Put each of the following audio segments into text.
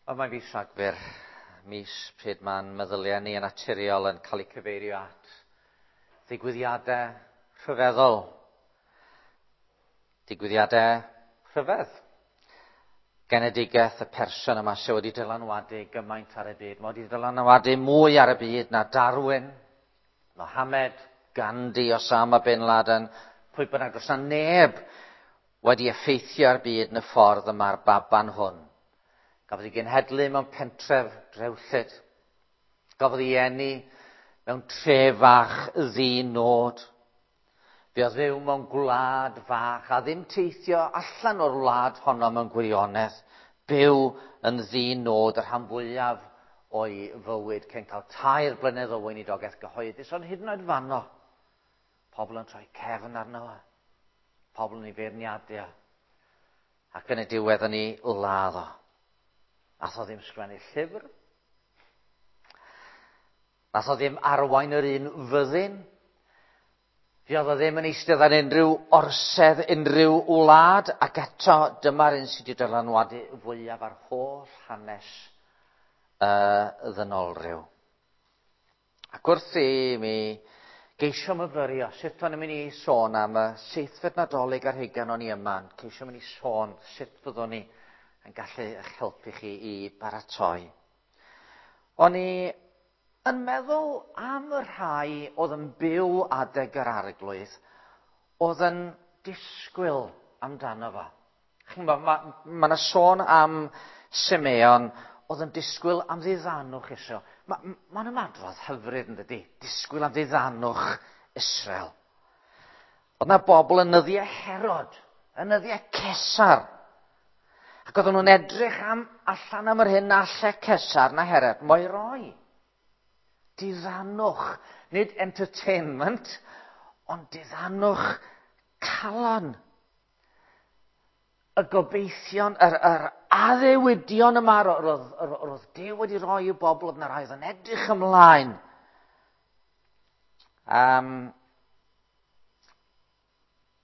Wel, mae'n fis Rhagfyr, mis pryd mae'n meddyliau ni yn naturiol yn cael eu cyfeirio at ddigwyddiadau rhyfeddol. Digwyddiadau rhyfedd. Genedigaeth y person yma sydd wedi dylanwadu gymaint ar y byd. Mae wedi dylanwadu mwy ar y byd na Darwin, Mohammed, Gandhi, Osama Bin Laden, pwy bynnag. Does na neb wedi effeithio ar byd yn y ffordd yma'r baban hwn. Gafodd ei genhedlu mewn pentref drewllyd. Gafodd ei eni mewn tref fach ddi-nod. Fuodd fyw mewn gwlad fach a ddim teithio allan o'r wlad honno mewn gwirionedd. Byw yn ddi-nod y rhan fwyaf o'i fywyd cyn cael 3 blynedd o weinidogaeth gyhoeddus, ond hyd yn oed fanno, pobl yn troi cefn arno fo, pobl yn ei feirniadu o, ac yn y diwedd yn ei ladd o. Nath o ddim sgwennu llyfr. Nath o ddim arwain yr un fyddin. Fuodd o ddim yn eistedd ar unrhyw orsedd, unrhyw wlad, ac eto dyma'r un sydd wedi dylanwadu fwyaf ar holl hanes y ddynolryw. Ac wrth i mi geisio myfyrio, sut o'n i'n mynd i sôn am y seithfed Nadolig ar hugain o'n i yma, yn ceisio mynd i sôn sut fyddwn ni yn gallu eich helpu chi i baratoi. O'n i yn meddwl am y rhai oedd yn byw adeg yr Arglwydd, oedd yn disgwyl amdano fo. Chi'n gwybod, ma' 'na sôn am Simeon oedd yn disgwyl am ddiddanwch Israel. Ma'n ymadrodd hyfryd, yn dydi? Disgwyl am ddiddanwch Israel. Oedd 'na bobl yn nyddiau Herod, yn nyddiau Cesar, ac oedden nhw'n edrych allan am yr hyn na alle Cesar na Herod mo'i roi. Diddanwch, nid entertainment, ond diddanwch calon. Y gobeithion, yr addewidion yma roedd Duw wedi rhoi i'w bobl, oedd yna rai oedd yn edrych ymlaen.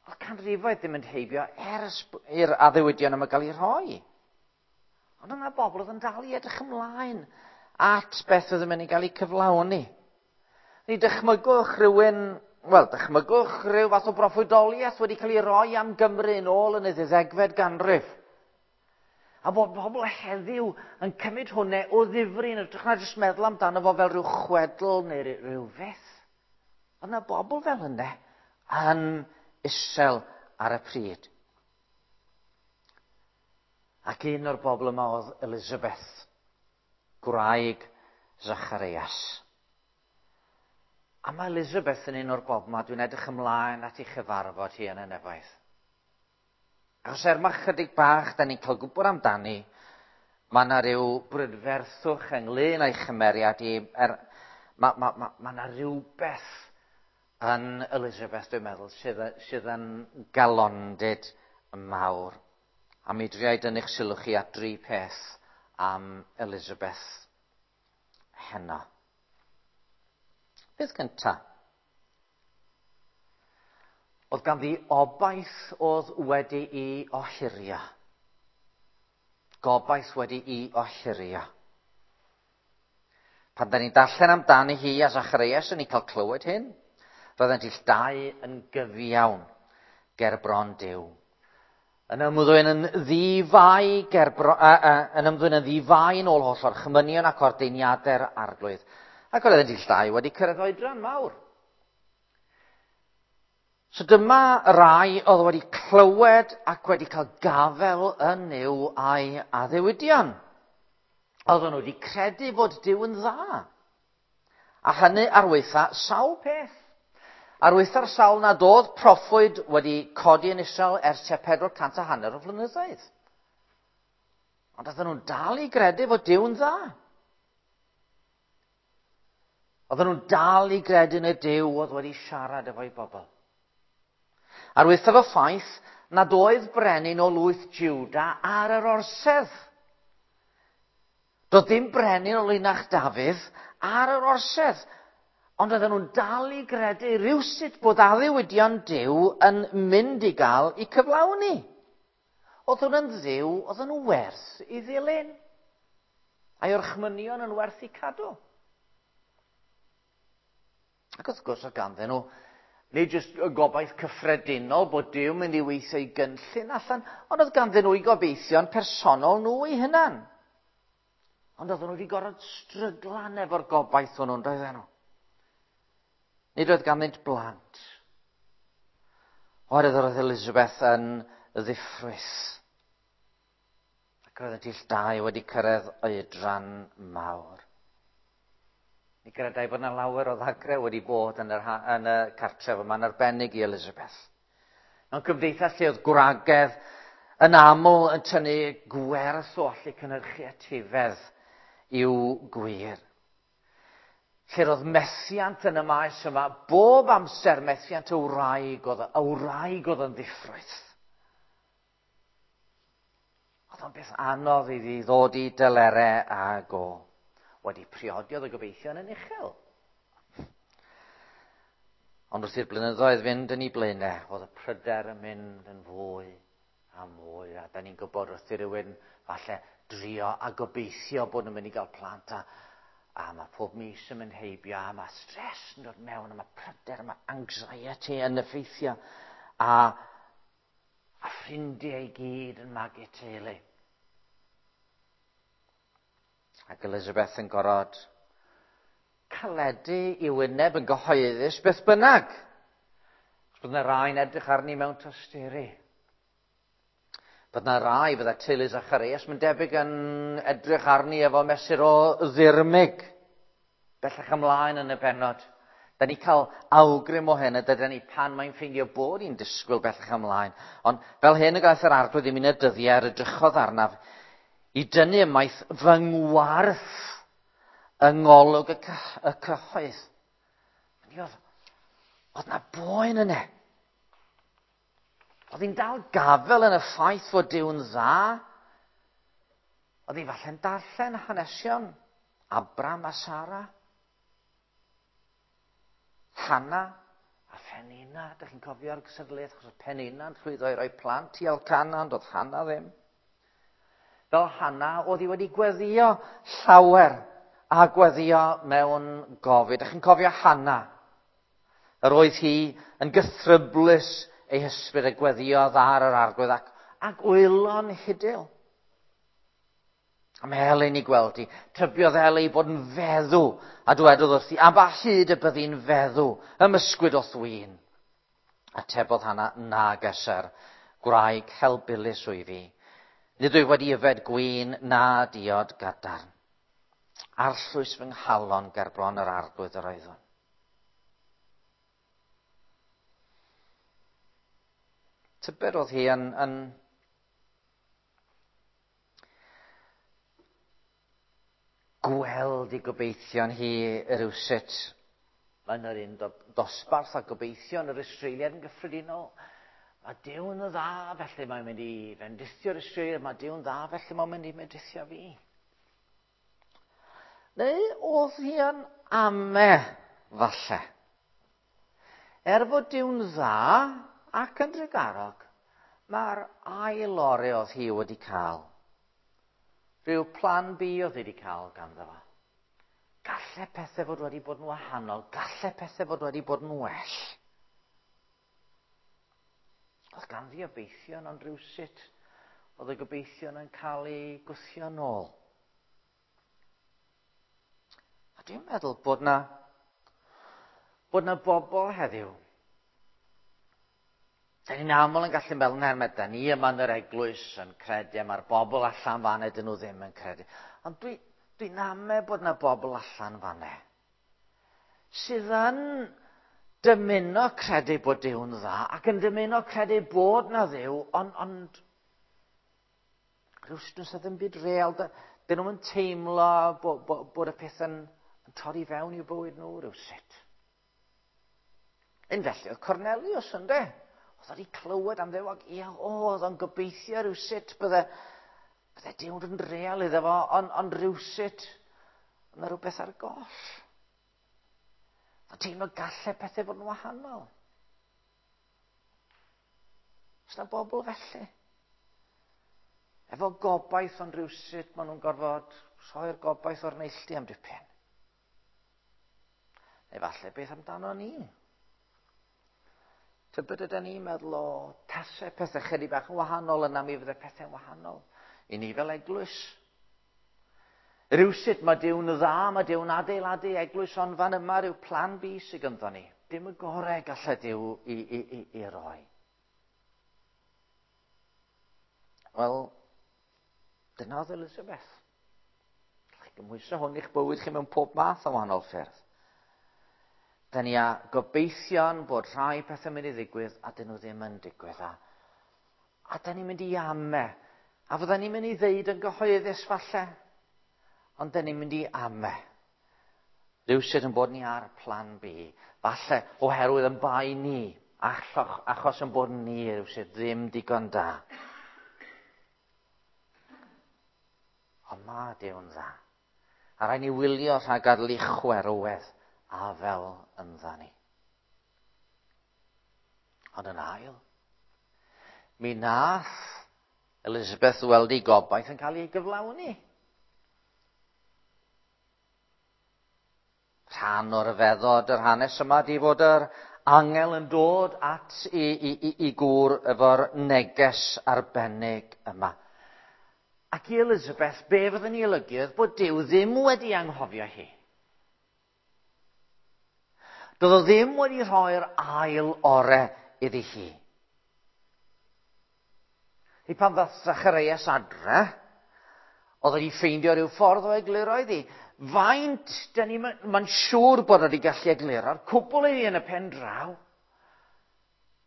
Oedd canrifoedd ddim yn heibio ers i'r addewidion yma gael eu rhoi. Ond yna bobl oedd yn dal i edrych ymlaen at beth oedd yn mynd i gael eu cyflawni. Ni dychmygwch rhywun, wel, dychmygwch rhyw fath o broffwydoliaeth wedi cael ei roi am Gymru yn ôl yn y ddeuddegfed ganrif. A bod pobl heddiw yn cymryd hwnna o ddifri yn hytrach na jyst meddwl amdano fo fel rhyw chwedl neu rhyw fyth. Oedd yna bobl fel hynny yn isel ar y pryd. Ac un o'r bobl yma oedd Elizabeth, gwraig Zacharias. A mae Elizabeth yn un o'r bobl yma, dwi'n edrych ymlaen at ei chyfarfod hi yn y nefoedd. Achos er mae chydig bach da ni'n cael gwybod amdani, mae yna rhyw brydferthwch ynglyn â'i chymeriad hi, mae yna rhywbeth yn Elizabeth, dwi'n meddwl, sydd yn galondid mawr. A mi driai dynnu'ch sylw chi at dri peth am Elizabeth heno. Beth gynta? Oedd ganddi obaith oedd wedi'i ohirio. Gobaith wedi'i ohirio. Pan da ni'n darllen amdani hi a Zacharias, yn ni'n cael clywed hyn. Roeddent ill dau yn gyfiawn ger bron Duw. Yn ymddwyn yn ddifai ger bro-, yn ymddwyn yn ddifai yn ôl holl orchmynion ac ordeiniadau'r Arglwydd. Ac roeddent ill dau wedi cyrraedd oedran mawr. So dyma rai oedd wedi clywed ac wedi cael gafael yn Nuw a'i addewidion. Oedden nhw wedi credu fod Duw yn dda. A hynny ar waetha sawl peth. Ar waetha'r sawl nad oedd proffwyd wedi codi yn Israel ers tua 450 o flynyddoedd. Ond oedden nhw'n dal i gredu fod Duw yn dda. Oedden nhw'n dal i gredu yn y Duw oedd wedi siarad efo'i bobl. Ar waethaf y ffaith nad oedd brenin o lwyth Juda ar yr orsedd. Doedd dim brenin o linach Dafydd ar yr orsedd. Ond oedden nhw'n dal i gredu rywsut bod addewidion Duw yn mynd i gael eu cyflawni. Oedd hwn yn Dduw, oedden nhw werth i ddilyn. A'i orchmynion yn werth eu cadw? Ac wrth gwrs oedd ganddyn nhw nid jyst y gobaith cyffredinol bod Duw mynd i weithio i gynllun allan, ond oedd ganddyn nhw i gobeithion personol nhw eu hunan. Ond oedden nhw wedi gorfod stryglan efo'r gobaith hwnnw'n doedden nhw. Nid oedd ganddynt blant. Oherwydd oedd Elizabeth yn ddiffrwyth. Ac roedd y ill dau wedi cyrraedd oedran mawr. Mi gredai bod yna lawer o ddagrau wedi bod yn, yr, yn y cartref yma'n arbennig i Elizabeth. Mewn cymdeithas lle oedd gwragedd yn aml yn tynnu gwerth o allu cynhyrchu etifedd i'w gwir. Lle roedd methiant yn y maes yma, bob amser methiant y wraig oedd, y wraig oedd yn ddiffrwyth. Oedd o'n beth anodd iddi ddod i dylere ag o. Wedi priodi oedd y gobeithion yn uchel. Ond wrth i'r blynyddoedd fynd yn ei blaenau, oedd y pryder yn mynd yn fwy a mwy. A da ni'n gwybod wrth i rywun falle drio a gobeithio bod nhw'n mynd i gael plant a, a mae pob mis yn mynd heibio a mae stres yn dod mewn a mae pryder a mae anxiety yn effeithio a, a ffrindiau i gyd yn magu teulu. Ac Elizabeth yn gorfod caledu i wyneb yn gyhoeddus beth bynnag. Chos bydd yna rai'n edrych arni mewn tosturi. Bydd yna rai, bydda teulu Zacharias, mae'n debyg yn edrych arni efo mesur o ddirmyg. Bellach ymlaen yn y bennod. Da ni cael awgrym o hyn, a dyda ni pan mae'n ffeindio bod hi'n disgwyl bellach ymlaen. Ond fel hyn y gaeth yr arglwydd i mi yn y dyddiau yr edrychodd arnaf i dynnu ymaith fy ngwarth yng ngolwg y, y cyhoedd. Oedd, oedd na boen yna. Oedd hi'n dal gafel yn y ffaith fod Duw'n dda. Oedd hi falle'n darllen hanesion Abram a Sara. Hanna a Phenina. Dych chi'n cofio'r cysadleuaeth achos oedd Penina'n llwyddo i roi plant i Elcana, ond oedd Hanna ddim. Fel Hanna, oedd hi wedi gweddio llawer a gweddio mewn gofid. Dych chi'n cofio Hanna? Yr oedd hi yn gythryblus ei hysbryd a gweddiodd ar yr arglwydd ac, ac wylo'n hidil. A mae Helen i gweld hi. Tybiodd Eli bod yn feddw a dwedodd wrthi, a ba hyd y byddi'n feddw, ymysgwyd o'th win. Atebodd Hanna, na geser, gwraig helbulus wyf fi. Nid wyf wedi yfed gwin na diod gadarn. Arllwys fy nghalon ger bron yr arglwydd yr oeddwn. Tybed oedd hi yn, yn gweld i gobeithion hi rywsut yn yr un dosbarth a gobeithion yr Israeliad yn gyffredinol. Mae Duw'n dda, felly mae'n mynd i fendithio'r Israeliad. Mae Duw'n dda, felly mae'n mynd i fendithio fi. Neu oedd hi yn ame, falle. Er fod Duw'n dda ac yn drugarog, mae'r ail ore oedd hi wedi cael. Rhyw plan B oedd hi wedi cael ganddo fo. Galle pethau fod wedi bod yn wahanol, galle pethau fod wedi bod yn well. Oedd ganddi obeithion, ond rhywsut oedd y gobeithion yn cael eu gwthio nôl. A dwi'n meddwl bod na, bod na bobl heddiw. Da ni'n aml yn gallu meddwl, na, da ni yma yn yr eglwys yn credu, a mae'r bobl allan fan dyn nhw ddim yn credu. Ond dwi'n dwi, dwi ame bod na bobl allan fan sydd yn dymuno credu bod Duw'n dda ac yn dymuno credu bod na Dduw, ond, ond rhywsut does 'na ddim byd real. Dyn nhw'n teimlo bod, bod, bod y peth yn, yn torri fewn i'w bywyd nhw rhywsut. Un felly oedd Cornelius ynde? Oedd wedi clywed am Dduw ac ia, o, oedd o'n gobeithio rhywsut bydde, bydde Duw'n yn real iddo fo, ond, ond rhywsut, yna rhywbeth ar goll. Oedd teimlo gallai pethau fod yn wahanol. Oes na bobl felly? Efo gobaith ond rhywsut maen nhw'n gorfod Rhoi'r gobaith o'r neilltu am dipyn. Neu falle beth amdano ni? Tybed ydyn ni'n meddwl o tasau pethau chydig bach yn wahanol yna mi fydde pethau'n wahanol i ni fel eglwys. Rywsut mae Duw'n dda, mae Duw'n adeiladu eglwys ond fan yma rhyw plan B sydd ganddo ni. Dim y gorau gallai Duw i, i, i, i roi. Wel, dyna oedd Elizabeth. Gallai gymhwyso hwn i'ch bywyd chi mewn pob math o wahanol ffyrdd. Da ni a gobeithion bod rhai pethau'n mynd i ddigwydd a dyn nhw ddim yn digwydd. A, a da ni'n mynd i ame. A fydda ni'n mynd i ddeud yn gyhoeddus falle. Ond da ni'n mynd i ame. Rhywsut yn bod ni ar plan B. Falle oherwydd yn bai ni. Achos, achos yn bod ni rhywsut ddim digon da. Ond mae Duw'n dda. A rhaid ni wylio rhag gadael i chwerwedd a fel yndda ni. Ond yn ail, mi nath Elizabeth weld ei gobaith yn cael ei gyflawni. Rhan o'r ryfeddod yr hanes yma di fod yr angel yn dod at i, i, i, i gŵr efo'r neges arbennig yma. Ac i Elizabeth, be fyddwn ni olygu oedd bod Duw ddim wedi anghofio hi. Doedd o ddim wedi rhoi'r ail ore iddi hi. I pan ddath Zacharias adre, oedd wedi ffeindio rhyw ffordd o egluro iddi. Faint, dyn ni, mae'n siŵr bod wedi gallu egluro'r cwbl iddi yn y pen draw.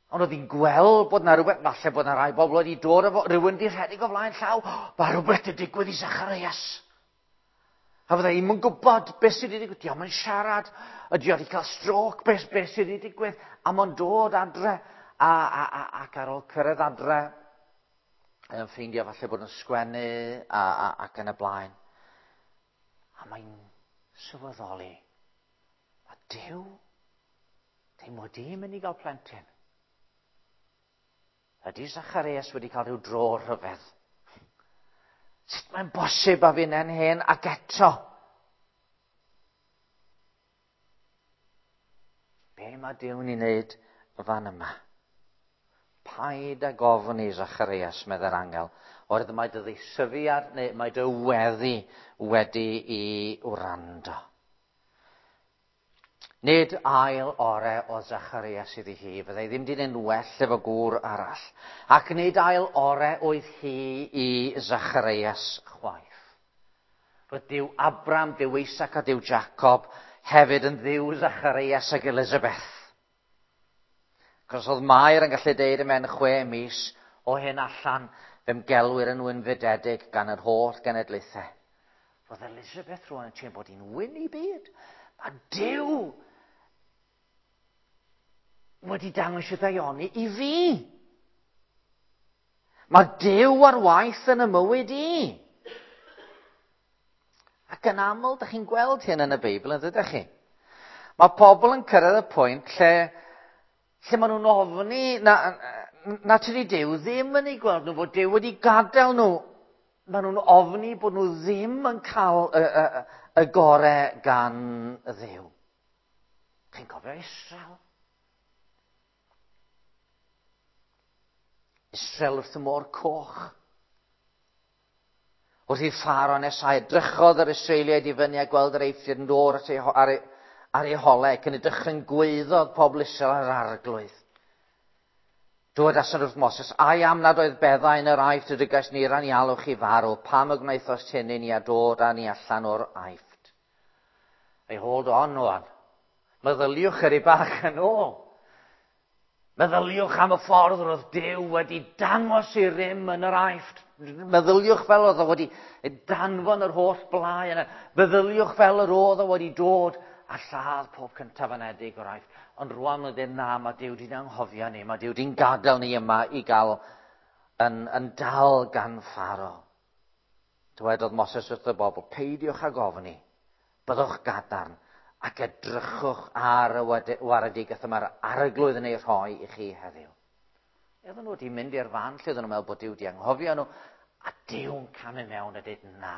Ond oedd hi'n gweld bod na rhywbeth, falle bod na rai bobl wedi dod efo, rhywun wedi rhedeg o flaen llaw, oh, mae rhywbeth wedi digwydd i Zacharias. A fydda i'm yn gwybod beth sydd wedi digwydd. Diolch yn siarad, ydy wedi cael stroke, beth, beth sydd wedi digwydd. A mae'n dod adre, a, a, a, ac ar ôl cyrraedd adre, yn ffeindio falle bod yn sgwennu a, a, ac yn y blaen. A mae'n sylweddoli, mae Duw ddim wedi mynd i gael plentyn. Ydy Zacharias wedi cael rhyw dro rhyfedd? Sut mae'n bosib a fi'n hen ac eto? Be mae Duw'n ei wneud fan yma? Paid ag ofni Zacharias, meddai'r angel, oherwydd mae dy ddeisyfiad neu mae dy weddi wedi i wrando. Nid ail ore o Zacharias iddi hi, fyddai ddim di wneud well efo gŵr arall. Ac nid ail ore oedd hi i Zacharias chwaith. Roedd Duw Abram, Duw Isaac a Duw Jacob hefyd yn ddiw Zacharias ac Elizabeth. Cos oedd Mair yn gallu deud ymhen 6 mis o hyn allan, fe'm gelwir yn wynfydedig gan yr holl genedlaethau. Roedd Elizabeth rwan yn teimlo bod hi'n wyn i byd. Mae Duw wedi dangos y ddaioni i fi. Mae Duw ar waith yn y mywyd i. Ac yn aml, da chi'n gweld hyn yn y Beibl, yn dydych chi? Mae pobl yn cyrraedd y pwynt lle, lle maen nhw'n ofni na, na tydi Duw ddim yn ei gweld nhw, fod Duw wedi gadael nhw. Maen nhw'n ofni bod nhw ddim yn cael y, y, y gore gan Dduw. Chi'n cofio Israel? Israel wrth y môr coch. Wrth i Pharaoh nesau, edrychodd yr Israeliaid i fyny a gweld yr Eifftiaid yn dod at ei, ar, ei, ar ei holau ac yn y dychryn gwaeddodd pobl Israel ar arglwydd. Dywedasant wrth Moses, ai am nad oedd beddau yn yr Aifft y dygais ni ran i alw chi farw, pam y gwnaethost hyn i ni a dod â ni allan o'r Aifft? Ei hold on, wan. Meddyliwch yr i bach yn ôl. Meddyliwch am y ffordd roedd Duw wedi dangos i rym yn yr Aifft. Meddyliwch fel oedd o wedi danfon yr holl blau yna. Meddyliwch fel yr oedd o wedi dod a lladd pob cyntaf anedig o'r Aifft. Ond rwan oedd e na, mae Duw wedi'n anghofio ni, mae Duw wedi'n gadael ni yma i gael yn, yn dal gan Pharaoh. Dywedodd Moses wrth y bobl, peidiwch ag ofni, byddwch gadarn, ac edrychwch ar y waredigaeth yma'r arglwydd yn ei rhoi i chi heddiw. Oedden nhw wedi mynd i'r fan lle oedden nhw'n meddwl bod Duw wedi anghofio nhw, a Duw'n camu mewn a dweud na.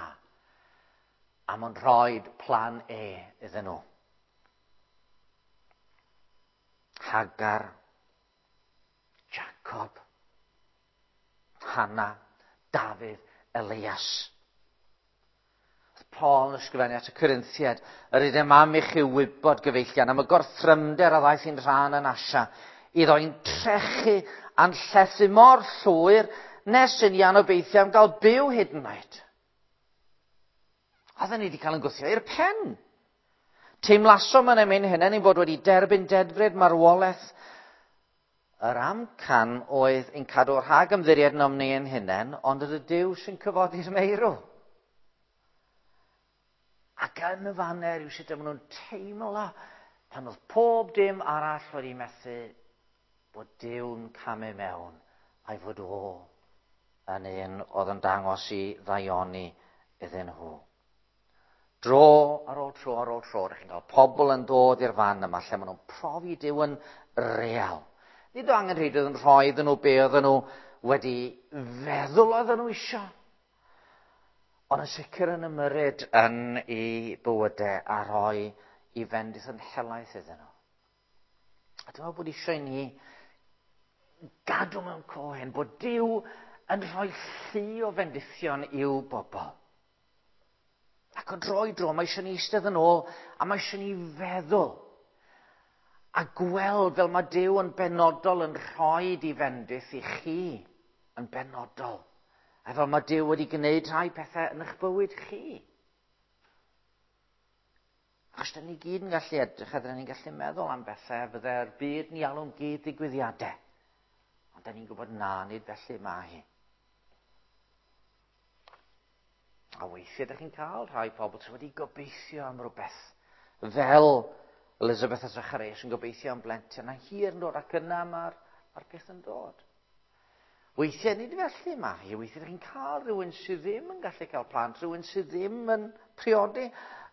A mae'n rhoi plan E iddyn nhw. Hagar, Jacob, Hannah, Dafydd, Elias. Oedd Paul yn ysgrifennu at y Corinthiaid, yr ydym am i chi wybod, gyfeillion, am y gorthrymder a ddaeth i'n rhan yn Asia, iddo i'n trechu a'n llethu mor llwyr nes yn i anobeithio am gael byw hyd yn oed. Oedden ni wedi cael yn gwthio i'r pen. Teimlasom yn ein hunain ein bod wedi derbyn dedfryd marwolaeth. Yr amcan oedd ein cadw rhag ymddiried yn ni ein hunain, ond yr y Duw sy'n cyfodi'r meirw. Ac yn y fanner yw sut maen nhw'n teimlo pan oedd pob dim arall wedi methu, bod Duw'n camu mewn a'i fod o yn un oedd yn dangos i ddaioni iddyn nhw. Dro ar ôl tro ar ôl tro, rydych chi'n cael pobl yn dod i'r fan yma lle maen nhw'n profi Duw yn real. Nid o angenrheidrwydd yn rhoi iddyn nhw be oedden nhw wedi feddwl oedden nhw isio. Ond yn sicr yn ymyrryd yn eu bywydau a rhoi i fendith yn helaeth iddyn nhw. A dwi'n meddwl bod eisiau i ni gadw mewn co hyn, bod Duw yn rhoi llu o fendithion i'w bobl. Ac o dro i dro, mae eisiau ni eistedd yn ôl a mae eisiau ni feddwl a gweld fel mae Duw yn benodol yn rhoi di fendith i chi yn benodol. A fel mae Duw wedi gwneud rhai pethau yn eich bywyd chi. Achos da ni gyd yn gallu edrych a da ni'n gallu meddwl am bethau fydde'r byd ni alw'n gyd ddigwyddiadau. Ond da ni'n gwybod na, nid felly mae hi. A weithiau ydych chi'n cael rhai pobl sydd wedi gobeithio am rhywbeth. Fel Elizabeth a Zacharias yn gobeithio am blentyn, a hir yn dod ac yna mae'r ma peth yn dod. Weithiau nid felly mae hi. Weithiau ydych chi'n cael rhywun sydd ddim yn gallu cael plant, rhywun sydd ddim yn priodi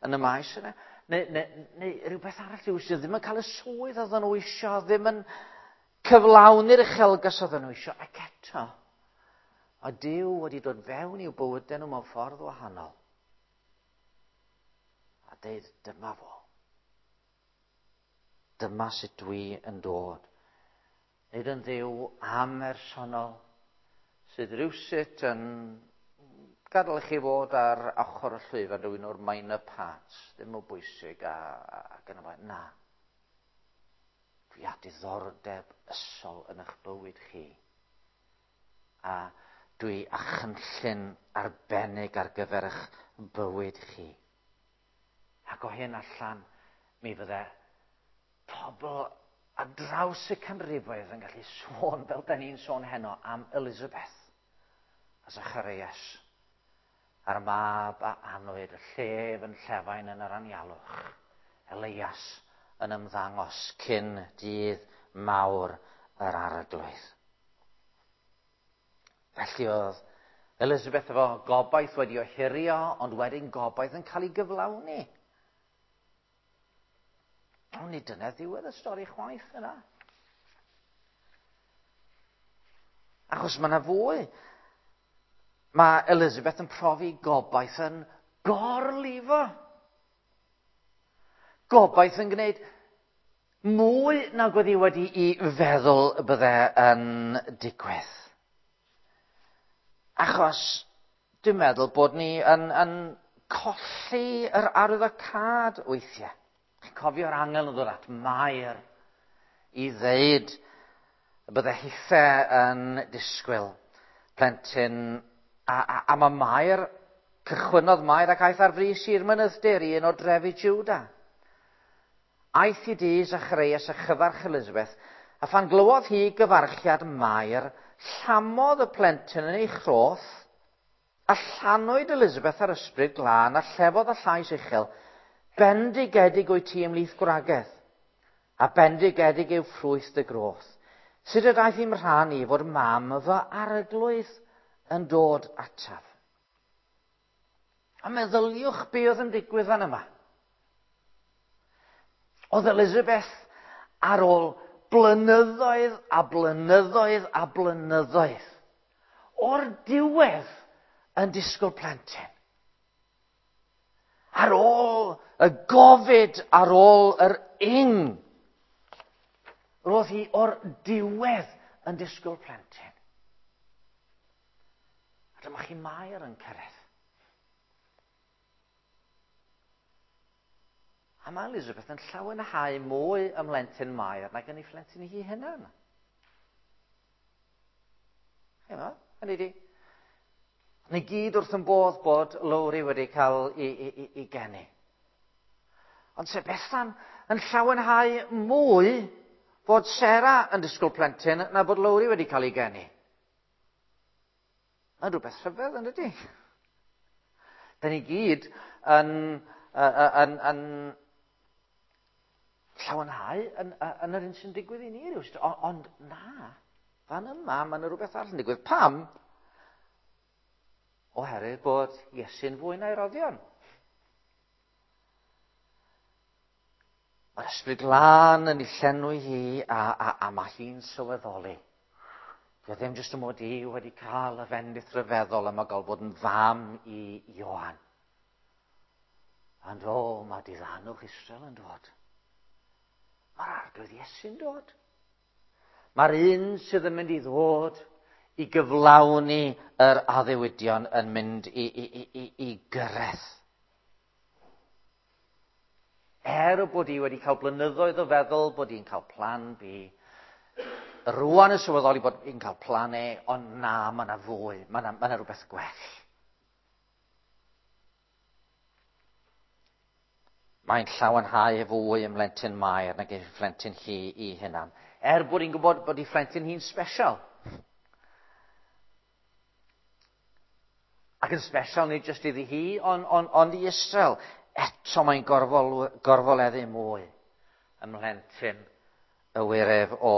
yn y maes yna, neu rhywbeth arall, rhywun sydd ddim yn cael y swydd oedden nhw isio, ddim yn cyflawni'r uchelgais oedden nhw isio, ac eto, a Duw wedi dod fewn i'w bywydau nhw mewn ffordd wahanol. A deud, dyma fo. Dyma sut dwi yn dod. Nid yn Dduw amhersonol sydd rywsut yn gadael i chi fod ar ochr y llwyfan rhywun o'r minor parts, ddim o bwysig ac yn y blaen. Na. Dwi â diddordeb ysol yn eich bywyd chi. A dwi â chynllun arbennig ar gyfer eich bywyd chi. Ac o hyn allan, mi fydde pobl ar draws y canrifoedd yn gallu sôn fel da ni'n sôn heno am Elizabeth a Zacharias a'r mab a anwyd, y llef yn llefain yn yr anialwch, Elias yn ymddangos cyn dydd mawr yr Arglwydd. Felly oedd Elizabeth efo gobaith wedi ohirio, ond wedyn gobaith yn cael ei gyflawni. Ond nid dyna ddiwedd y stori chwaith yna. Achos mae yna fwy. Mae Elizabeth yn profi gobaith yn gorlifo. Gobaith yn gwneud mwy nag oedd hi wedi'i feddwl y bydde yn digwydd. Achos dwi'n meddwl bod ni yn colli yr arwyddocâd weithiau. Chi'n cofio'r angel yn dod at Mair i ddeud y bydde hithe yn disgwyl plentyn. A mae Mair, cychwynnodd Mair ac aeth ar frys i'r mynydd-dir i un o drefi Juda. Aeth i dŷ Zacharias a chyfarch Elizabeth, a phan glywodd hi gyfarchiad Mair, llamodd y plentyn yn ei chroth, a llanwyd Elizabeth ar ysbryd glân, a llefodd y llais uchel, bendigedig wyt ti ymhlith gwragedd, a bendigedig yw ffrwyth dy groth. Sut y daeth i'm rhan i fod mam fy arglwydd yn dod ataf? A meddyliwch be oedd yn digwydd fan yma. Oedd Elizabeth ar ôl blynyddoedd a blynyddoedd a blynyddoedd o'r diwedd yn disgwyl plentyn. Ar ôl y gofid, ar ôl yr ing, roedd hi o'r diwedd yn disgwyl plentyn. A dyma chi Mair yn cyrraedd. A mae Elizabeth yn llawenhau mwy ym mhlentyn Mair nag yn ei phlentyn hi hunan. Hynny, hynny di. Ni gyd wrth yn bodd bod Lowri wedi cael i geni. Ond se Bethan yn llawenhau mwy bod Sarah yn disgwyl plentyn na bod Lowri wedi cael ei geni. Mae'n rhywbeth rhyfedd, yn dydy? Da ni gyd yn llawenhau yn yr un sy'n digwydd i ni rywsut. Ond na, fan yma, mae yna rhywbeth arall yn digwydd. Pam? Oherwydd bod Iesu'n fwy na'i roddion. Mae'r Ysbryd Glân yn ei llenwi hi a mae hi'n sylweddoli. Dwi ddim jyst y mod i wedi cael y fendith rhyfeddol yma gael bod yn fam i Ioan. Ond o, mae diddanwch Israel yn dod. Mae'r Arglwydd Iesu'n dod. Mae'r un sydd yn mynd i ddod i gyflawni yr addewidion yn mynd i gyrraedd. Er bod hi wedi cael blynyddoedd o feddwl bod hi'n cael plan B, rwan yn sylweddoli bod hi'n cael plan E, ond na, mae yna fwy, mae yna rhywbeth gwell. Mae'n llawenhau fwy ym mhlentyn Mair nag ei phlentyn hi i hunan. Er bod hi'n gwybod bod ei phlentyn hi'n special. Ac yn special nid jyst iddi hi, ond i Israel. Eto mae'n gorfoleddu mwy ym mhlentyn y wiref o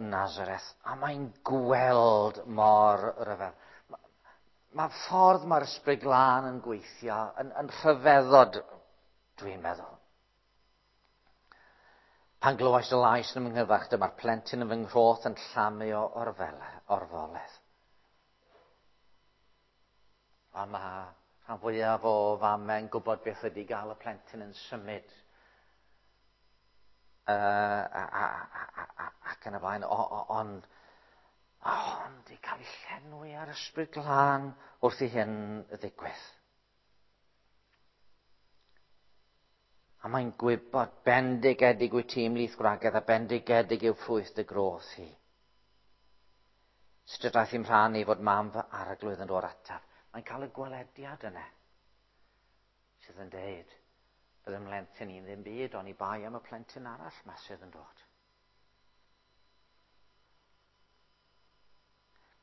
Nazareth. A mae'n gweld mor ryfedd. Mae ffordd mae'r Ysbryd Glân yn gweithio yn rhyfeddod, dwi'n meddwl. Pan glywais y lais yn fy nghyfarch, dyma'r plentyn yn fy nghroth yn llamu o orfoledd. A mae rhan fwyaf o famau'n gwybod beth ydy gael y plentyn yn symud. Ac yn y blaen, ond i cael ei llenwi ar Ysbryd Glân wrth i hyn ddigwydd. A mae'n gwybod bendigedig wyt ti ymhlith gwragedd a bendigedig yw ffrwyth dy groth hi. Sut y daeth i'm rhan i fod mam fy arglwydd yn dod ataf. Mae'n cael y gwelediad yna sydd yn deud, bydd ym mhlentyn i'n ddim byd, ond i bai am y plentyn arall ma sydd yn dod.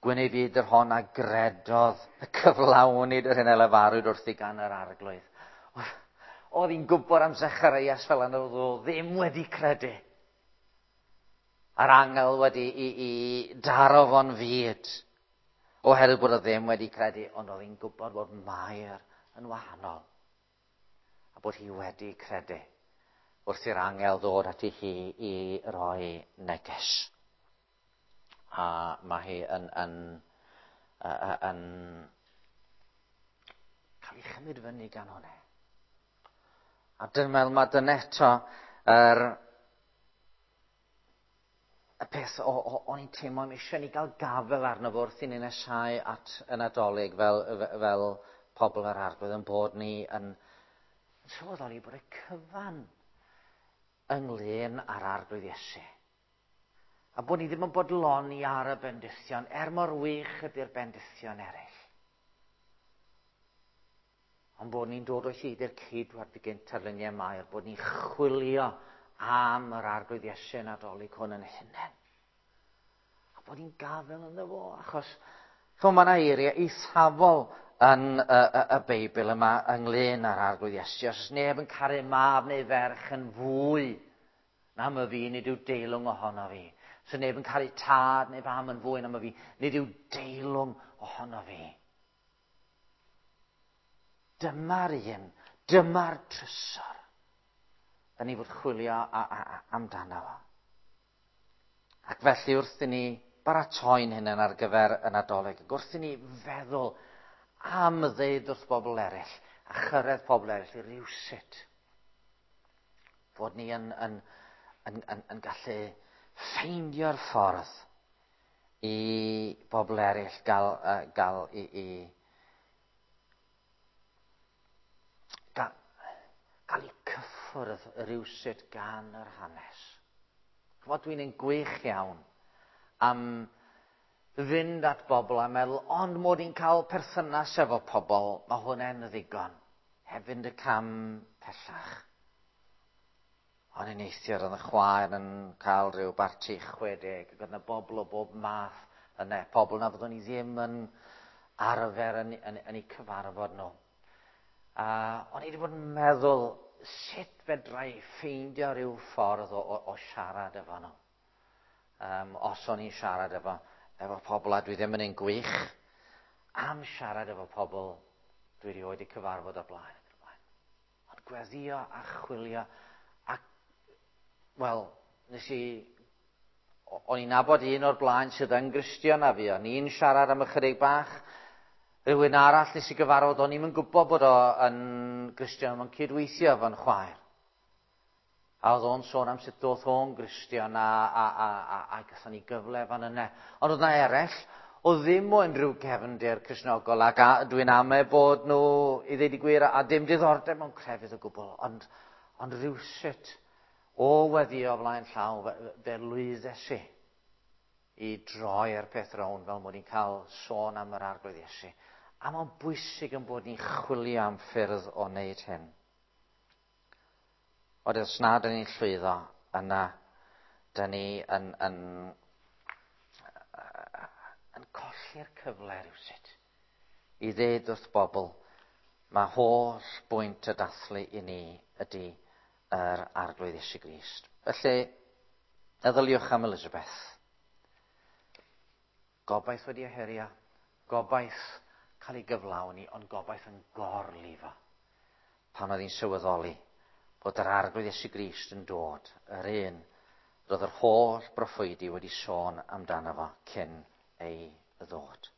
Gwyn ei fyd yr hon a gredodd y cyflawnid yr hyn a lefarwyd wrthi gan yr arglwydd. Oedd hi'n gwybod am Zacharias fel yna, oedd o ddim wedi credu. A'r angel wedi i daro fo'n fyd. Oherwydd bod o ddim wedi credu, ond oedd hi'n gwybod bod Mair yn wahanol. A bod hi wedi credu wrth i'r angel ddod ati hi i roi neges. A mae hi yn cael ei chymryd fyny gan hwnna. A dwi'n meddwl mae dyna eto y peth o'n i'n teimlo am eisiau ni gael gafel arno fo wrth i ni nesau at y Nadolig fel pobl yr Arglwydd, yn bod ni yn sylweddoli bod y cyfan ynglyn â'r Arglwydd Iesu. A bod ni ddim yn bodloni ar y bendithion, er mor wych ydy'r bendithion eraill. Ond bod ni'n dod o hyd i'r ceidwad gynt ar luniau Mair, bod ni'n chwilio am yr Arglwydd Iesu Nadolig hwn yn hunain. A bod ni'n gafel ynddo fo, achos mae yna eiriau eithafol yn y Beibl yma ynglyn â'r Arglwydd Iesu. Os oes neb yn caru mab neu ferch yn fwy na my fi, nid yw deilwng ohono fi. Os oes neb yn caru tad neu fam yn fwy na my fi, nid yw deilwng ohono fi. Dyma'r un, dyma'r trysor. Da ni fod chwilio amdano fo. Ac felly wrth i ni baratoi'n hunain ar gyfer y Nadolig, ac wrth i ni feddwl am ddeud wrth bobl eraill, A chyrraedd pobl eraill i rywsut. Fod ni yn gallu ffeindio'r ffordd i bobl eraill gael eu cyffwrdd rywsut gan yr hanes. Ch'mod, dwi'n un gwych iawn am fynd at bobl a meddwl, ond mod i'n cael perthynas efo pobl, mae hwnna'n ddigon, heb fynd y cam pellach. O'n i'n neithiwr oedd y chwaer yn cael rhyw barti 60, ac oedd yna bobl o bob math yna, pobl na fyddwn i ddim yn arfer yn eu cyfarfod nhw. A o'n i wedi bod yn meddwl, sut fedra i ffeindio rhyw ffordd o siarad efo nhw? Os o'n i'n siarad efo pobl, a dwi ddim yn un gwych am siarad efo pobl dwi erioed wedi cyfarfod o'r blaen. Ond gweddio a chwilio, ac, wel, o'n i'n nabod un o'r blaen sydd yn Gristion a fi, o'n i'n siarad am ychydig bach. Rhywun arall nes i gyfarfod, o'n i'm yn gwybod bod o yn Gristion, mae'n cydweithio efo'n chwaer. A oedd o'n sôn am sut doth o'n Gristion a gathon ni gyfle fan yna. Ond oedd yna eraill, oedd ddim o unrhyw gefndir Cristnogol, ac dwi'n ame bod nhw, i ddeud y gwir, a dim diddordeb mewn crefydd o gwbl, ond rywsut o weddio flaen llaw, fe lwyddes i i droi'r peth rownd fel mod i'n cael sôn am yr Arglwydd Iesu. A mae'n bwysig yn bod ni'n chwilio am ffyrdd o wneud hyn. Ond os na dyn ni'n llwyddo, yna dyn ni yn colli'r cyfle rywsut i ddeud wrth bobl, mae holl bwynt y dathlu i ni ydy yr Arglwydd Iesu Grist. Felly, meddyliwch am Elizabeth. Gobaith wedi ohirio, gobaith cael ei gyflawni, ond gobaith yn gorlifo pan oedd hi'n sylweddoli bod yr Arglwydd Iesu Grist yn dod, yr un roedd yr holl broffwydi wedi sôn amdano fo cyn ei ddod.